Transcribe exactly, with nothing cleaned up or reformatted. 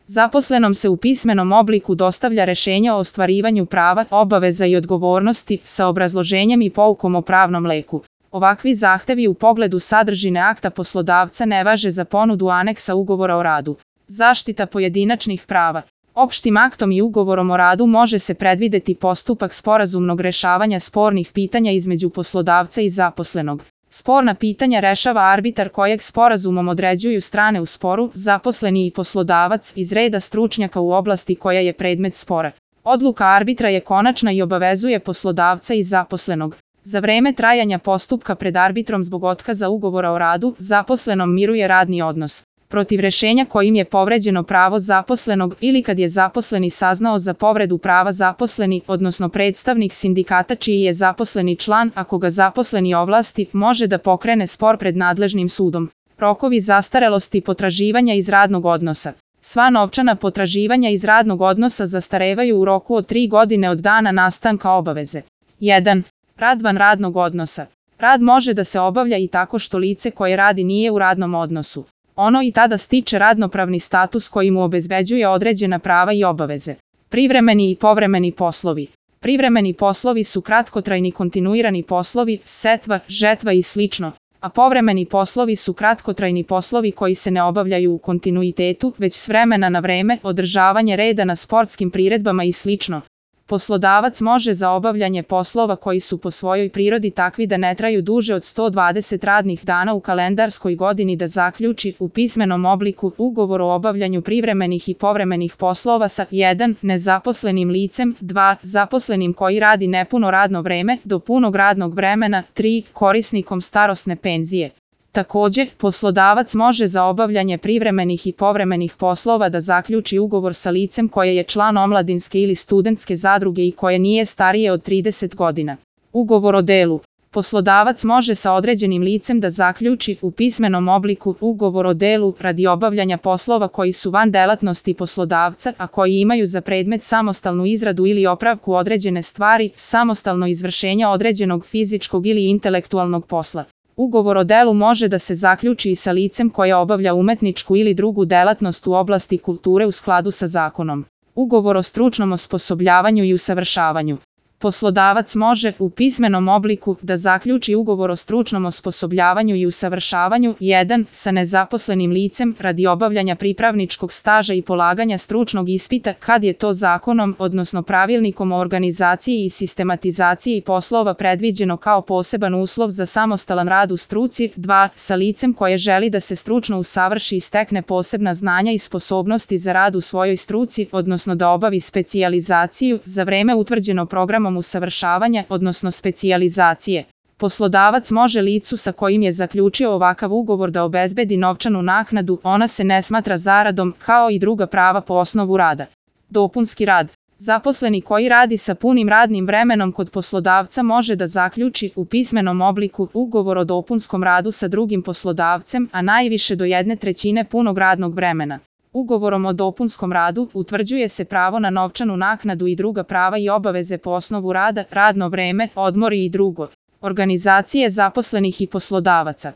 Zaposlenom se u pismenom obliku dostavlja rešenje o ostvarivanju prava, obaveza i odgovornosti sa obrazloženjem i poukom o pravnom leku. Ovakvi zahtevi u pogledu sadržine akta poslodavca ne važe za ponudu aneksa ugovora o radu. Zaštita pojedinačnih prava. Opštim aktom i ugovorom o radu može se predvideti postupak sporazumnog rešavanja spornih pitanja između poslodavca i zaposlenog. Sporna pitanja rešava arbitar kojeg sporazumom određuju strane u sporu, zaposleni i poslodavac iz reda stručnjaka u oblasti koja je predmet spora. Odluka arbitra je konačna i obavezuje poslodavca i zaposlenog. Za vreme trajanja postupka pred arbitrom zbog otkaza ugovora o radu, zaposlenom miruje radni odnos. Protiv rešenja kojim je povređeno pravo zaposlenog ili kad je zaposleni saznao za povredu prava zaposleni, odnosno predstavnik sindikata čiji je zaposleni član, ako ga zaposleni ovlasti, može da pokrene spor pred nadležnim sudom. Rokovi zastarelosti potraživanja iz radnog odnosa. Sva novčana potraživanja iz radnog odnosa zastarevaju u roku od tri godine od dana nastanka obaveze. jedan. Rad van radnog odnosa. Rad može da se obavlja i tako što lice koje radi nije u radnom odnosu. Ono i tada stiče radnopravni status koji mu obezbeđuje određena prava i obaveze. Privremeni i povremeni poslovi. Privremeni poslovi su kratkotrajni kontinuirani poslovi, setva, žetva i slično, a povremeni poslovi su kratkotrajni poslovi koji se ne obavljaju u kontinuitetu, već s vremena na vreme, održavanje reda na sportskim priredbama i slično. Poslodavac može za obavljanje poslova koji su po svojoj prirodi takvi da ne traju duže od sto dvadeset radnih dana u kalendarskoj godini da zaključi u pismenom obliku ugovor o obavljanju privremenih i povremenih poslova sa jedan. Nezaposlenim licem, dva. Zaposlenim koji radi nepuno radno vreme do punog radnog vremena, tri. Korisnikom starosne penzije. Takođe, poslodavac može za obavljanje privremenih i povremenih poslova da zaključi ugovor sa licem koje je član omladinske ili studentske zadruge i koje nije starije od trideset godina. Ugovor o delu. Poslodavac može sa određenim licem da zaključi u pismenom obliku ugovor o delu radi obavljanja poslova koji su van delatnosti poslodavca, a koji imaju za predmet samostalnu izradu ili opravku određene stvari, samostalno izvršenje određenog fizičkog ili intelektualnog posla. Ugovor o delu može da se zaključi i sa licem koje obavlja umetničku ili drugu delatnost u oblasti kulture u skladu sa zakonom. Ugovor o stručnom osposobljavanju i usavršavanju. Poslodavac može u pismenom obliku da zaključi ugovor o stručnom osposobljavanju i usavršavanju jedan. Sa nezaposlenim licem radi obavljanja pripravničkog staža i polaganja stručnog ispita kad je to zakonom, odnosno pravilnikom o organizaciji i sistematizaciji poslova predviđeno kao poseban uslov za samostalan rad u struci. dva. Sa licem koje želi da se stručno usavrši i stekne posebna znanja i sposobnosti za rad u svojoj struci, odnosno da obavi specijalizaciju za vreme utvrđeno programom usavršavanja, odnosno specijalizacije. Poslodavac može licu sa kojim je zaključio ovakav ugovor da obezbedi novčanu naknadu, ona se ne smatra zaradom, kao i druga prava po osnovu rada. Dopunski rad. Zaposleni koji radi sa punim radnim vremenom kod poslodavca može da zaključi u pismenom obliku ugovor o dopunskom radu sa drugim poslodavcem, a najviše do jedne trećine punog radnog vremena. Ugovorom o dopunskom radu utvrđuje se pravo na novčanu naknadu i druga prava i obaveze po osnovu rada, radno vreme, odmori i drugo. Organizacije zaposlenih i poslodavaca.